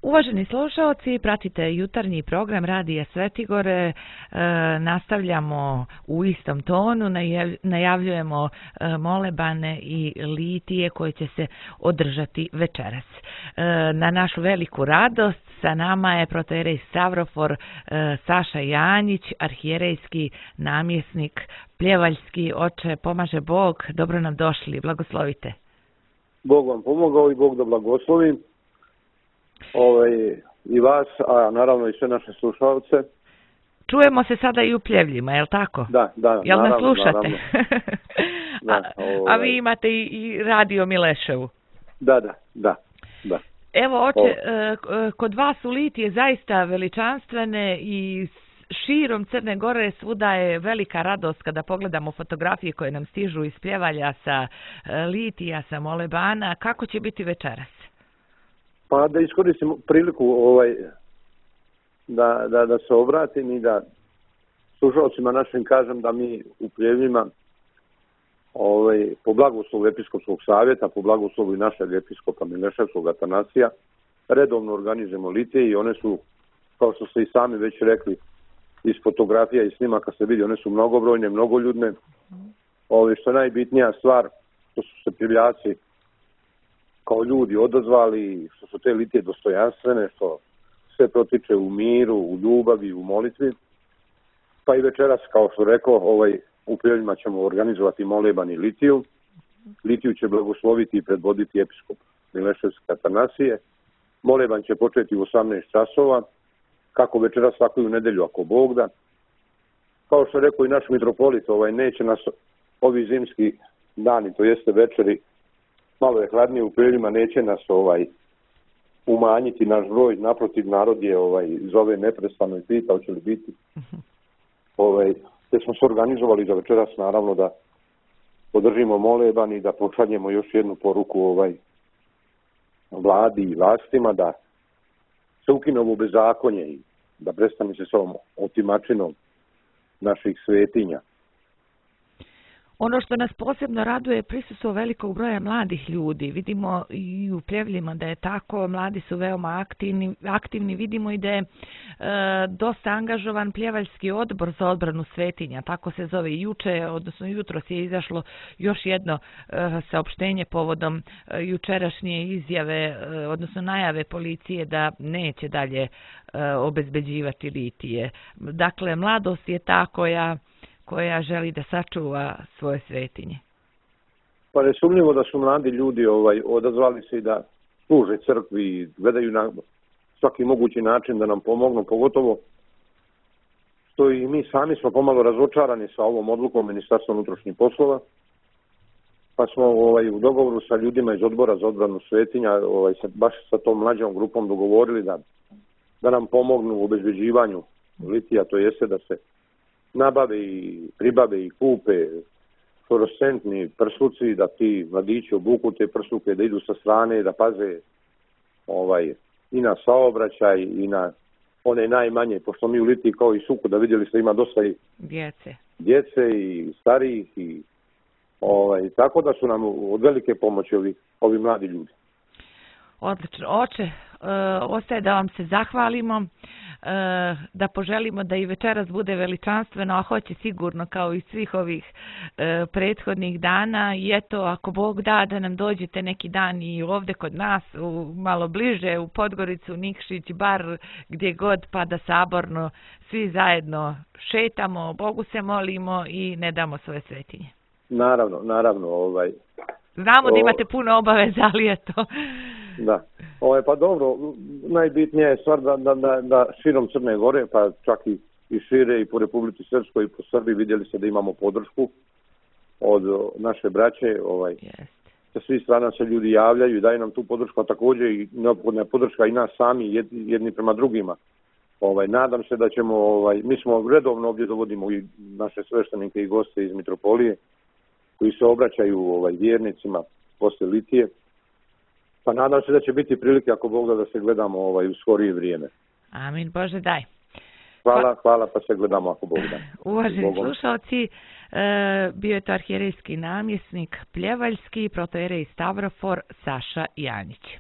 Uvaženi slušalci, pratite jutarnji program Radija Svetigore, nastavljamo u istom tonu, najavljujemo molebane i litije koje će se održati večeras. Na našu veliku radost sa nama je protoijerej Stavrofor Saša Janjić, arhijerejski namjesnik Pljevaljski. Oče, pomaže Bog, dobro nam došli, blagoslovite. Bog vam pomogao i Bog da blagoslovi. I vas, a naravno i sve naše slušalce. Čujemo se sada i u Pljevljima, je li tako? Da, jel naravno. Nas slušate? Da, a vi imate i radio Mileševu. Da. Evo, oče, kod vas su litije zaista veličanstvene i širom Crne Gore svuda je velika radost kada pogledamo fotografije koje nam stižu iz Pljevalja sa litija, sa molebana. Kako će biti večeras? Pa da iskoristim priliku da se obratim i da slušalcima našim kažem da mi u Pljevljima po blagoslovu Episkopskog savjeta, po blagoslovu i našeg episkopa Mileševskog Atanasija redovno organizujemo litije i one su, kao što ste i sami već rekli, iz fotografija i snimaka se vidi, one su mnogobrojne, mnogoljudne. Što je najbitnija stvar, što su se Pljevljaci kao ljudi odazvali, što su te litije dostojanstvene, što sve protiče u miru, u ljubavi, u molitvi. Pa i večeras, kao što rekao, u Pljevljima ćemo organizovati moleban i litiju. Litiju će blagosloviti i predvoditi episkop Mileševski Atanasije. Moleban će početi u 18 časova, kako večeras, tako i u nedjelju, ako Bog da. Kao što je rekao i naš mitropolit, neće nas ovi zimski dani, to jeste večeri, malo je hladnije u Pljevljima, neće nas umanjiti naš broj, naprotiv narod je zove neprestano i pita hoće li biti. Te smo se organizovali za večeras, naravno da podržimo moleban i da pošaljemo još jednu poruku vladi i vlastima da se ukine ovo bezakonje i da prestane se s ovom otimačinom naših svetinja. Ono što nas posebno raduje je prisustvo velikog broja mladih ljudi. Vidimo i u Pljevljima da je tako, mladi su veoma aktivni. Vidimo i da je dosta angažovan Pljevaljski odbor za odbranu svetinja, tako se zove. Juče, odnosno jutros je izašlo još jedno saopštenje povodom jučerašnje izjave, odnosno najave policije da neće dalje obezbeđivati litije. Dakle, mladost je ta koja želi da sačuva svoje svetinje. Pa nesumnjivo da su mladi ljudi odazvali se i da služe crkvi i gledaju na svaki mogući način da nam pomognu, pogotovo što i mi sami smo pomalo razočarani sa ovom odlukom Ministarstva unutrašnjih poslova, pa smo u dogovoru sa ljudima iz odbora za odbranu svetinja baš sa tom mlađom grupom dogovorili da nam pomognu u obezbeđivanju litija, to jeste da se nabave i pribave i kupe fluorescentni prsluci, da ti mladići obuku te prsluke, da idu sa strane, da paze i na saobraćaj i na one najmanje, pošto mi u litiji kao i suku, da vidjeli ste ima dosta i djece i starijih i tako da su nam od velike pomoći ovi mladi ljudi. Odlično. Oče, ostaje da vam se zahvalimo, da poželimo da i večeras bude veličanstveno, a hoće sigurno kao i svih ovih prethodnih dana. I eto, ako Bog da nam dođete neki dan i ovdje kod nas, malo bliže, u Podgoricu, Nikšić, bar gdje god, pa da saborno svi zajedno šetamo, Bogu se molimo i ne damo svoje svetinje. Naravno. Znamo da imate puno obaveza, ali eto. Da. Pa dobro, najbitnija je stvar da širom Crne Gore, pa čak i šire i po Republici Srpskoj i po Srbiji vidjeli se da imamo podršku od naše braće. Sa svih strana se ljudi javljaju i daju nam tu podršku, a također i neophodna podrška i nas sami jedni prema drugima. Nadam se da ćemo, mi smo redovno ovdje dovodimo i naše sveštenike i goste iz mitropolije koji se obraćaju vjernicima poslije litije. Pa nadam se da će biti prilike, ako Bog da se gledamo u skorije vrijeme. Amin, Bože daj. Hvala, pa se gledamo ako Bog da. Uvaženi slušalci, bio je to arhijerejski namjesnik Pljevaljski, protoijerej Stavrofor Saša Janjić.